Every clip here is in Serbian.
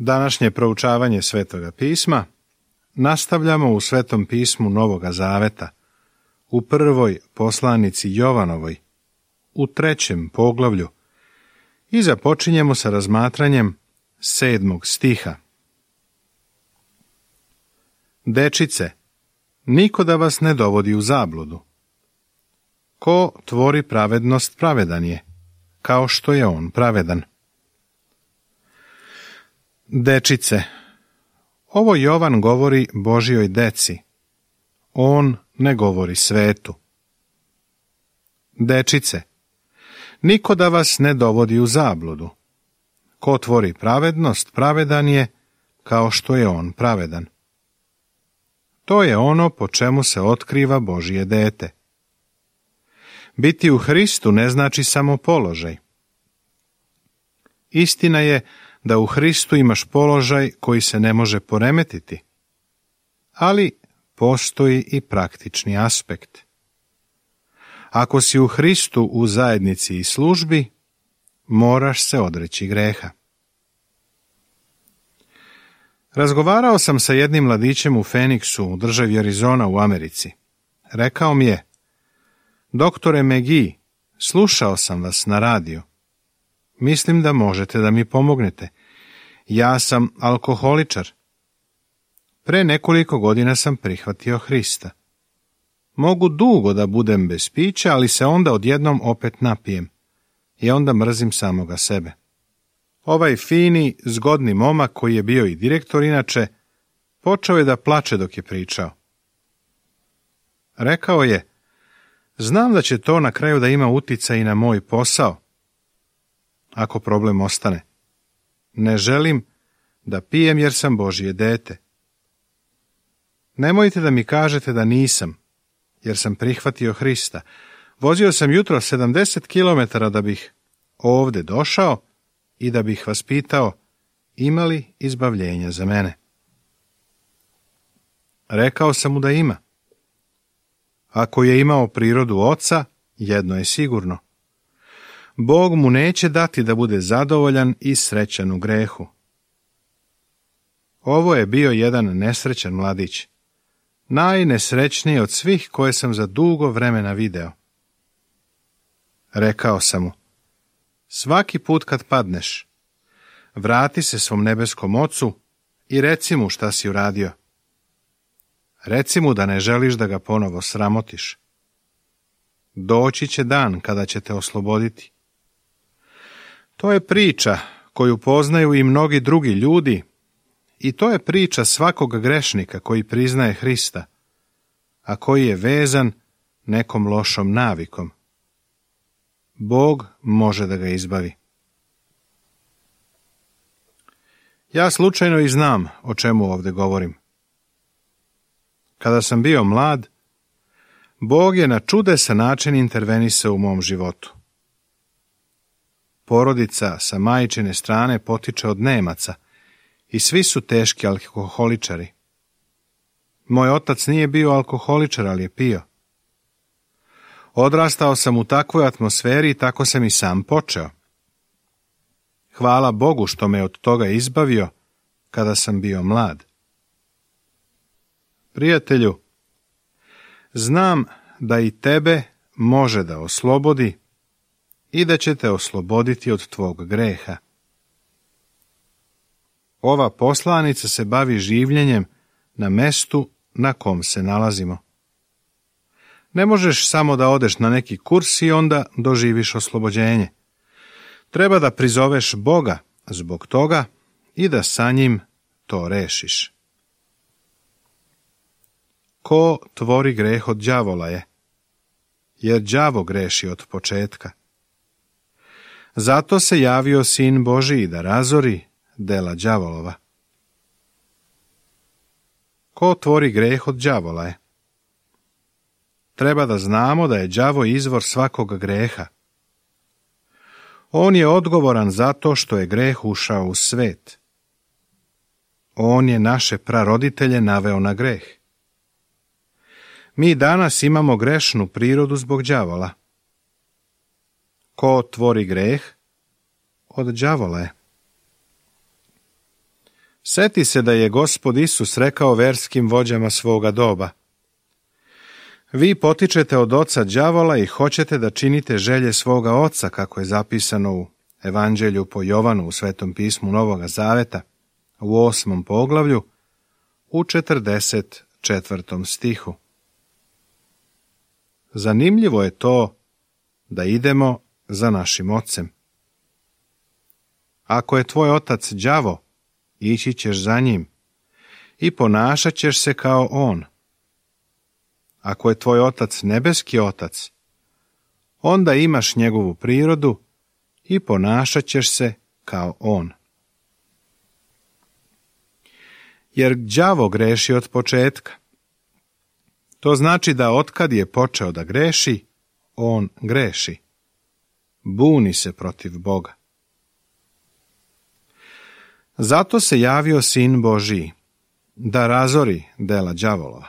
Današnje proučavanje Svetoga pisma nastavljamo u Svetom pismu Novoga Zaveta, u prvoj poslanici Jovanovoj, u 3. poglavlju, i započinjemo sa razmatranjem 7. stiha. Dečice, niko da vas ne dovodi u zabludu. Ko tvori pravednost, pravedan je, kao što je on pravedan. Dečice, ovo Jovan govori Božjoj deci. On ne govori svetu. Dečice, niko da vas ne dovodi u zabludu. Ko tvori pravednost, pravedan je, kao što je on pravedan. To je ono po čemu se otkriva Božje dete. Biti u Hristu ne znači samo položaj. Istina je da u Hristu imaš položaj koji se ne može poremetiti, ali postoji i praktični aspekt. Ako si u Hristu u zajednici i službi, moraš se odreći greha. Razgovarao sam sa jednim mladićem u Phoenixu, u državi Arizona u Americi. Rekao mi je: Doktore McGee, slušao sam vas na radiju. Mislim da možete da mi pomognete. Ja sam alkoholičar. Pre nekoliko godina sam prihvatio Hrista. Mogu dugo da budem bez pića, ali se onda odjednom opet napijem. I onda mrzim samoga sebe. Ovaj fini, zgodni momak, koji je bio i direktor inače, počeo je da plače dok je pričao. Rekao je: znam da će to na kraju da ima uticaj i na moj posao, ako problem ostane. Ne želim da pijem jer sam Božje dete. Nemojte da mi kažete da nisam, jer sam prihvatio Hrista. Vozio sam jutro 70 km da bih ovde došao i da bih vas pitao: ima li izbavljenja za mene? Rekao sam mu da ima. Ako je imao prirodu oca, jedno je sigurno. Bog mu neće dati da bude zadovoljan i srećan u grehu. Ovo je bio jedan nesrećan mladić. Najnesrećniji od svih koje sam za dugo vremena video. Rekao sam mu: svaki put kad padneš, vrati se svom nebeskom ocu i reci mu šta si uradio. Reci mu da ne želiš da ga ponovo sramotiš. Doći će dan kada će te osloboditi. To je priča koju poznaju i mnogi drugi ljudi, i to je priča svakog grešnika koji priznaje Hrista, a koji je vezan nekom lošom navikom. Bog može da ga izbavi. Ja slučajno i znam o čemu ovdje govorim. Kada sam bio mlad, Bog je na čudesan način intervenisao u mom životu. Porodica sa majčine strane potiče od Nemaca i svi su teški alkoholičari. Moj otac nije bio alkoholičar, ali je pio. Odrastao sam u takvoj atmosferi i tako sam i sam počeo. Hvala Bogu što me od toga izbavio kada sam bio mlad. Prijatelju, znam da i tebe može da oslobodi i da će te osloboditi od tvog greha. Ova poslanica se bavi življenjem na mestu na kom se nalazimo. Ne možeš samo da odeš na neki kurs i onda doživiš oslobođenje. Treba da prizoveš Boga zbog toga i da sa njim to rešiš. Ko tvori greh od đavola je, jer đavo greši od početka. Zato se javio Sin Božiji da razori dela đavolova. Ko tvori greh od đavola je? Treba da znamo da je đavo izvor svakog greha. On je odgovoran zato što je greh ušao u svet. On je naše praroditelje naveo na greh. Mi danas imamo grešnu prirodu zbog đavola. Ko tvori greh? Od đavola je. Seti se da je Gospod Isus rekao verskim vođama svoga doba: vi potičete od oca đavola i hoćete da činite želje svoga oca, kako je zapisano u Evanđelju po Jovanu u Svetom pismu Novoga Zaveta, u 8. poglavlju, u 44. stihu. Zanimljivo je to da idemo za našim ocem. Ako je tvoj otac đavo, ići ćeš za njim i ponašat ćeš se kao on. Ako je tvoj otac nebeski otac, onda imaš njegovu prirodu i ponašat ćeš se kao on. Jer đavo greši od početka. To znači da otkad je počeo da greši, on greši. Buni se protiv Boga. Zato se javio Sin Božiji, da razori dela đavolova.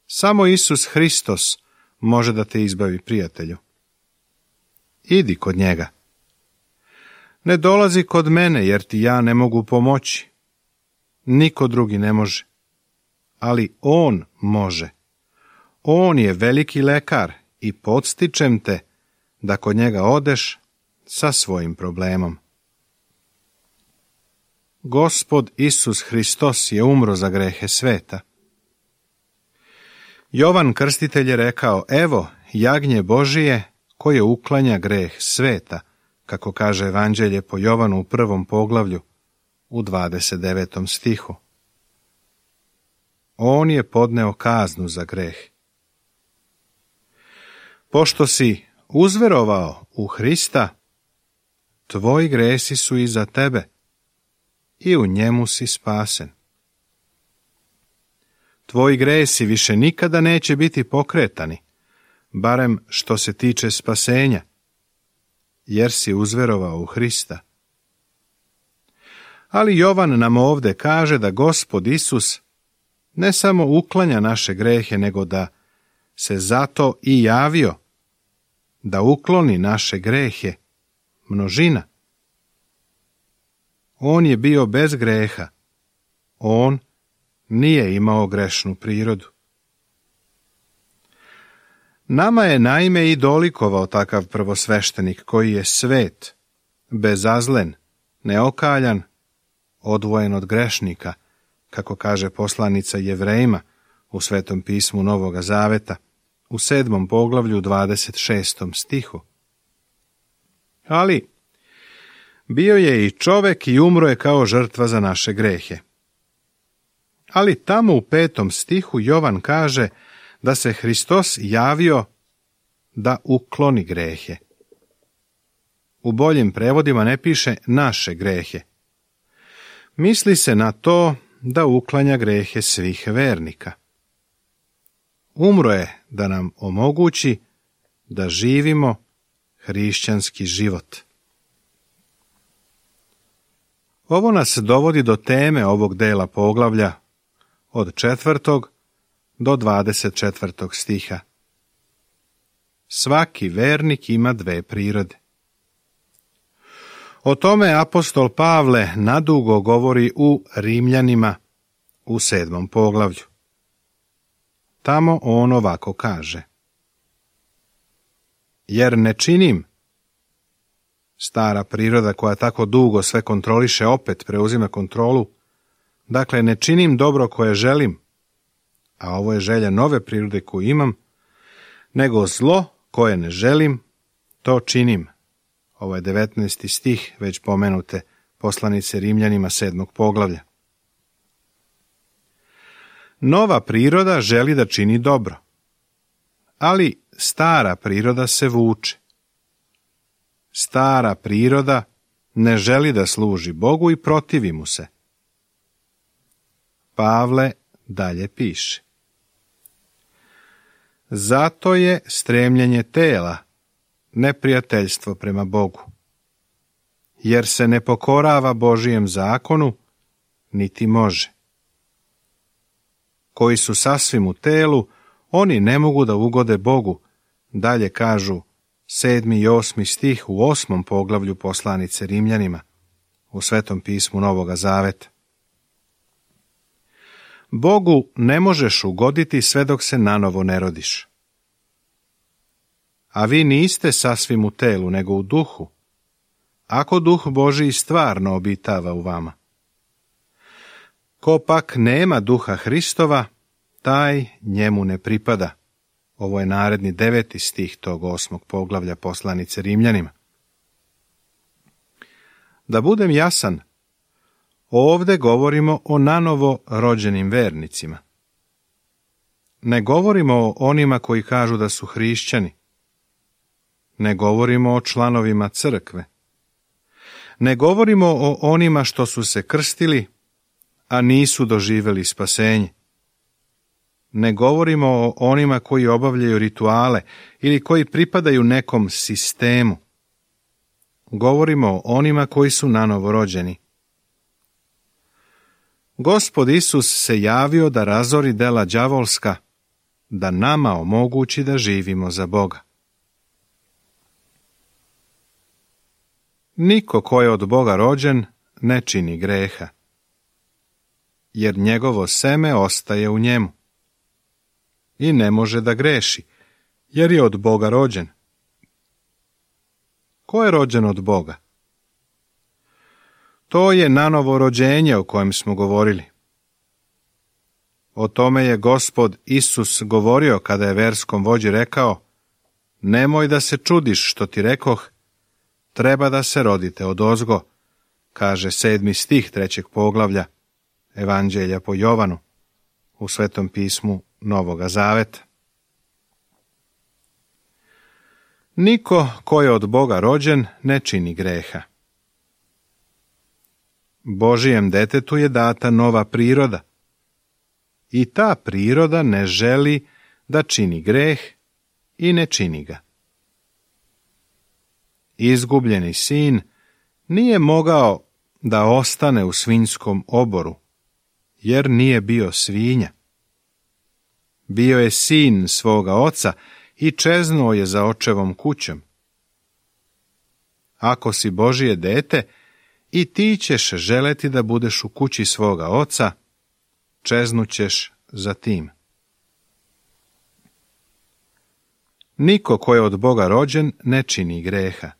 Samo Isus Hristos može da te izbavi, prijatelju. Idi kod njega. Ne dolazi kod mene, jer ti ja ne mogu pomoći. Niko drugi ne može. Ali on može. On je veliki lekar i podstičem te da kod njega odeš sa svojim problemom. Gospod Isus Hristos je umro za grehe sveta. Jovan Krstitelj je rekao: evo, jagnje Božije koje uklanja greh sveta, kako kaže Evanđelje po Jovanu u 1. poglavlju, u 29. stihu. On je podneo kaznu za greh. Pošto si uzverovao u Hrista, tvoji gresi su iza tebe i u njemu si spasen. Tvoji gresi više nikada neće biti pokretani, barem što se tiče spasenja, jer si uzverovao u Hrista. Ali Jovan nam ovde kaže da Gospod Isus ne samo uklanja naše grehe, nego da se zato i javio, da ukloni naše grehe, množina. On je bio bez greha. On nije imao grešnu prirodu. Nama je naime i dolikovao takav prvosveštenik koji je svet, bezazlen, neokaljan, odvojen od grešnika, kako kaže poslanica Jevrejima u Svetom pismu Novoga Zaveta, u 7. poglavlju 26. stihu. Ali bio je i čovek i umro je kao žrtva za naše grehe. Ali tamo u 5. stihu Jovan kaže da se Hristos javio da ukloni grehe. U boljim prevodima ne piše naše grehe. Misli se na to da uklanja grehe svih vernika. Umro je da nam omogući da živimo hrišćanski život. Ovo nas dovodi do teme ovog dela poglavlja od 4. do 24. stiha. Svaki vernik ima dve prirode. O tome apostol Pavle nadugo govori u Rimljanima u 7. poglavlju. Tamo on ovako kaže: jer ne činim, stara priroda koja tako dugo sve kontroliše opet preuzima kontrolu, dakle ne činim dobro koje želim, a ovo je želja nove prirode koju imam, nego zlo koje ne želim, to činim. Ovo je 19. stih već pomenute poslanice Rimljanima 7. poglavlja. Nova priroda želi da čini dobro, ali stara priroda se vuče. Stara priroda ne želi da služi Bogu i protivi mu se. Pavle dalje piše: zato je stremljenje tela neprijateljstvo prema Bogu, jer se ne pokorava Božijem zakonu, niti može. Koji su sasvim u telu, oni ne mogu da ugode Bogu, dalje kažu 7. i 8. stih u 8. poglavlju poslanice Rimljanima, u Svetom pismu Novoga Zaveta. Bogu ne možeš ugoditi sve dok se nanovo ne rodiš. A vi niste sasvim u telu, nego u duhu, ako Duh Božiji stvarno obitava u vama. Ko pak nema Duha Hristova, taj njemu ne pripada. Ovo je naredni 9. stih tog 8. poglavlja poslanice Rimljanima. Da budem jasan, ovdje govorimo o nanovo rođenim vernicima. Ne govorimo o onima koji kažu da su hrišćani. Ne govorimo o članovima crkve. Ne govorimo o onima što su se krstili, a nisu doživjeli spasenje. Ne govorimo o onima koji obavljaju rituale ili koji pripadaju nekom sistemu. Govorimo o onima koji su nanovo rođeni. Gospod Isus se javio da razori dela đavolska, da nama omogući da živimo za Boga. Niko ko je od Boga rođen ne čini greha, jer njegovo seme ostaje u njemu. I ne može da greši, jer je od Boga rođen. Ko je rođen od Boga? To je nanovo rođenje o kojem smo govorili. O tome je Gospod Isus govorio kada je verskom vođi rekao: nemoj da se čudiš što ti rekoh, treba da se rodite odozgo, kaže 7. stih 3. poglavlja Evanđelja po Jovanu u Svetom pismu Novoga Zaveta. Niko ko je od Boga rođen ne čini greha. Božijem detetu je data nova priroda i ta priroda ne želi da čini greh i ne čini ga. Izgubljeni sin nije mogao da ostane u svinjskom oboru, jer nije bio svinja. Bio je sin svoga oca i čeznuo je za očevom kućom. Ako si Božije dete, i ti ćeš želeti da budeš u kući svoga oca, čeznućeš za tim. Niko ko je od Boga rođen ne čini greha.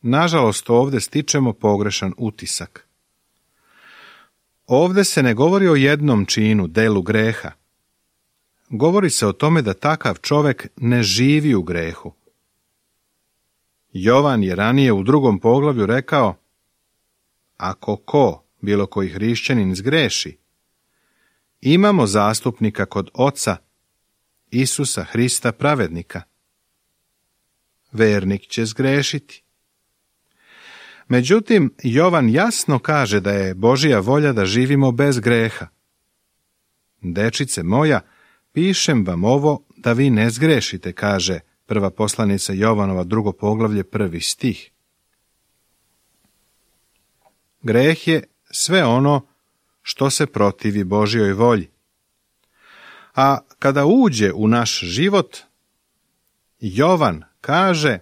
Nažalost, ovdje stičemo pogrešan utisak. Ovdje se ne govori o jednom činu, delu greha. Govori se o tome da takav čovjek ne živi u grehu. Jovan je ranije u 2. poglavlju rekao: ako ko, bilo koji hrišćanin, zgreši, imamo zastupnika kod Oca, Isusa Hrista pravednika. Vernik će zgrešiti. Međutim, Jovan jasno kaže da je Božja volja da živimo bez greha. Dečice moja, pišem vam ovo da vi ne zgrešite, kaže prva poslanica Jovanova 2. poglavlje 1. stih. Greh je sve ono što se protivi Božjoj volji. A kada uđe u naš život, Jovan kaže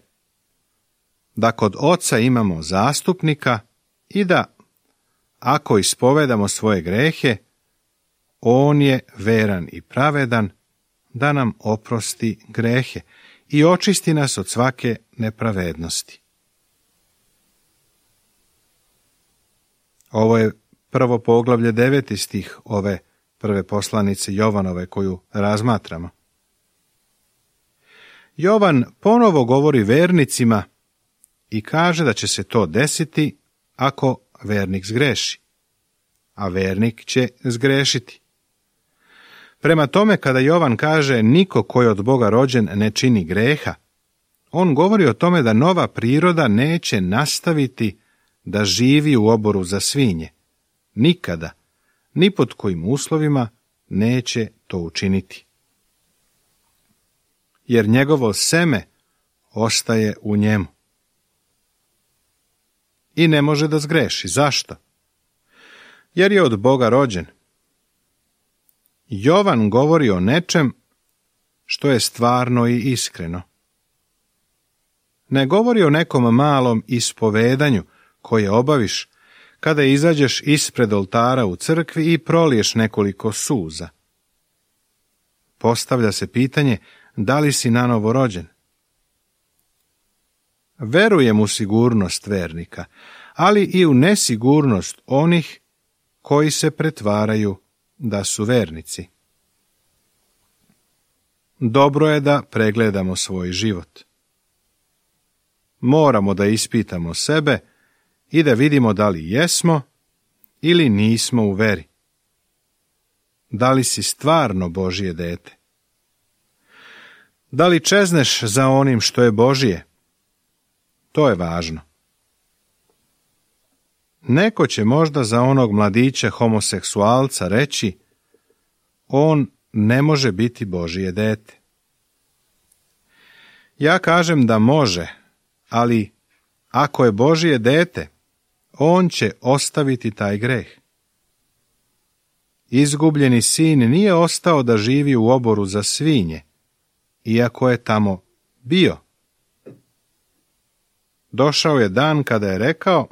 da kod Oca imamo zastupnika i da, ako ispovedamo svoje grehe, on je veran i pravedan da nam oprosti grehe i očisti nas od svake nepravednosti. Ovo je prvo poglavlje 9. stih ove prve poslanice Jovanove koju razmatramo. Jovan ponovo govori vernicima i kaže da će se to desiti ako vernik zgreši, a vernik će zgrešiti. Prema tome, kada Jovan kaže niko ko je od Boga rođen ne čini greha, on govori o tome da nova priroda neće nastaviti da živi u oboru za svinje. Nikada, ni pod kojim uslovima neće to učiniti. Jer njegovo seme ostaje u njemu. I ne može da zgreši. Zašto? Jer je od Boga rođen. Jovan govori o nečem što je stvarno i iskreno. Ne govori o nekom malom ispovedanju koje obaviš kada izađeš ispred oltara u crkvi i proliješ nekoliko suza. Postavlja se pitanje da li si nanovo rođen. Verujem u sigurnost vernika, ali i u nesigurnost onih koji se pretvaraju da su vernici. Dobro je da pregledamo svoj život. Moramo da ispitamo sebe i da vidimo da li jesmo ili nismo u veri. Da li si stvarno Božje dete? Da li čezneš za onim što je Božje? To je važno. Neko će možda za onog mladića homoseksualca reći: on ne može biti Božje dete. Ja kažem da može, ali ako je Božje dete, on će ostaviti taj greh. Izgubljeni sin nije ostao da živi u oboru za svinje, iako je tamo bio. Došao je dan kada je rekao: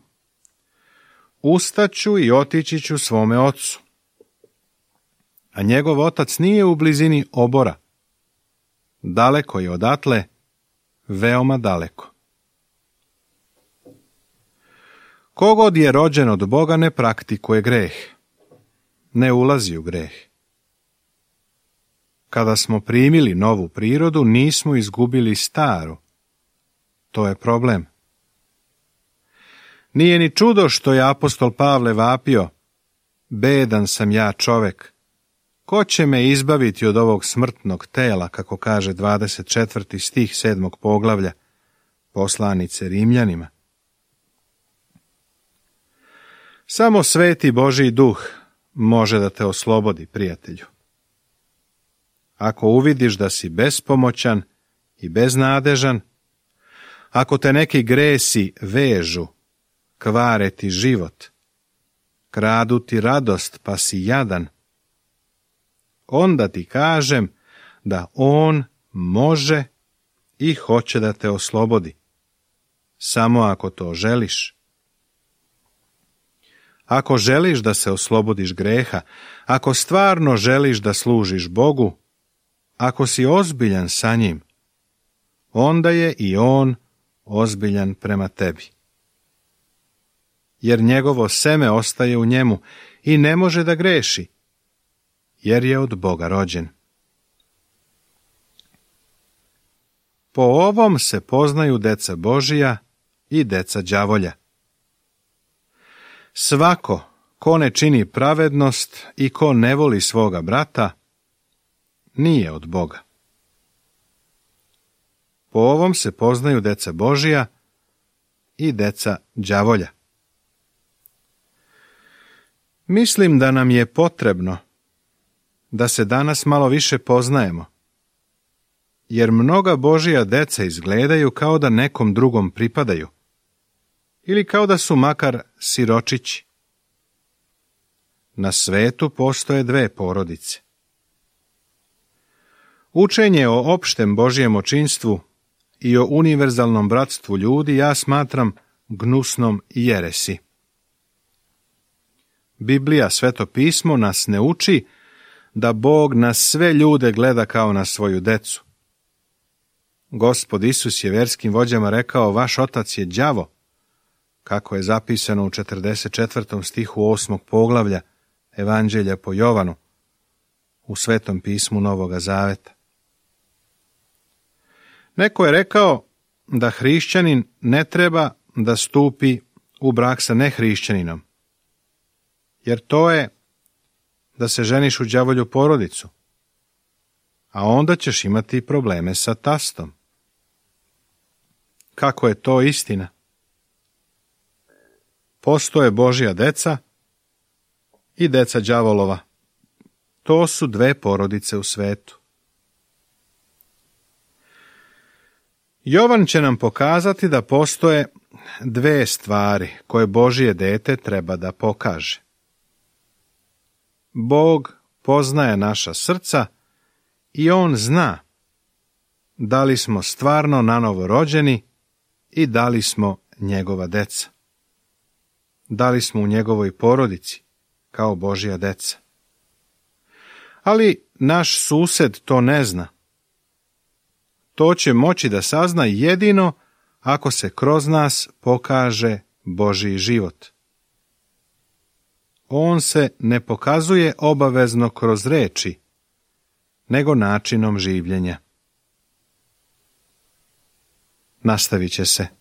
ustaću i otići ću svome ocu. A njegov otac nije u blizini obora. Daleko je odatle, veoma daleko. Kogod je rođen od Boga ne praktikuje greh, ne ulazi u greh. Kada smo primili novu prirodu, nismo izgubili staru. To je problem. Nije ni čudo što je apostol Pavle vapio: bedan sam ja čovek, ko će me izbaviti od ovog smrtnog tela, kako kaže 24. stih 7. poglavlja poslanice Rimljanima. Samo sveti Božji duh može da te oslobodi, prijatelju. Ako uvidiš da si bespomoćan i beznadežan, ako te neki gresi vežu, kvare ti život, kradu ti radost pa si jadan, onda ti kažem da on može i hoće da te oslobodi, samo ako to želiš. Ako želiš da se oslobodiš greha, ako stvarno želiš da služiš Bogu, ako si ozbiljan sa njim, onda je i on ozbiljan prema tebi. Jer njegovo seme ostaje u njemu i ne može da greši, jer je od Boga rođen. Po ovom se poznaju deca Božija i deca đavolja. Svako ko ne čini pravednost i ko ne voli svoga brata, nije od Boga. Po ovom se poznaju deca Božija i deca đavolja. Mislim da nam je potrebno da se danas malo više poznajemo, jer mnoga Božja deca izgledaju kao da nekom drugom pripadaju, ili kao da su makar siročići. Na svetu postoje dve porodice. Učenje o opštem Božjem očinstvu i o univerzalnom bratstvu ljudi ja smatram gnusnom jeresi. Biblija, Sveto pismo, nas ne uči da Bog na sve ljude gleda kao na svoju decu. Gospod Isus je verskim vođama rekao: vaš otac je đavo, kako je zapisano u 44. stihu 8. poglavlja Evanđelja po Jovanu u Svetom pismu Novoga Zaveta. Neko je rekao da hrišćanin ne treba da stupi u brak sa nehrišćaninom, jer to je da se ženiš u đavolju porodicu, a onda ćeš imati probleme sa tastom. Kako je to istina? Postoje Božja deca i deca đavolova. To su dve porodice u svetu. Jovan će nam pokazati da postoje dve stvari koje Božje dete treba da pokaže. Bog poznaje naša srca i on zna da li smo stvarno nanovo rođeni i da li smo njegova deca. da li smo u njegovoj porodici, kao Božja deca. Ali naš sused to ne zna. To će moći da sazna jedino ako se kroz nas pokaže Božji život. On se ne pokazuje obavezno kroz reči, nego načinom življenja. Nastavit će se.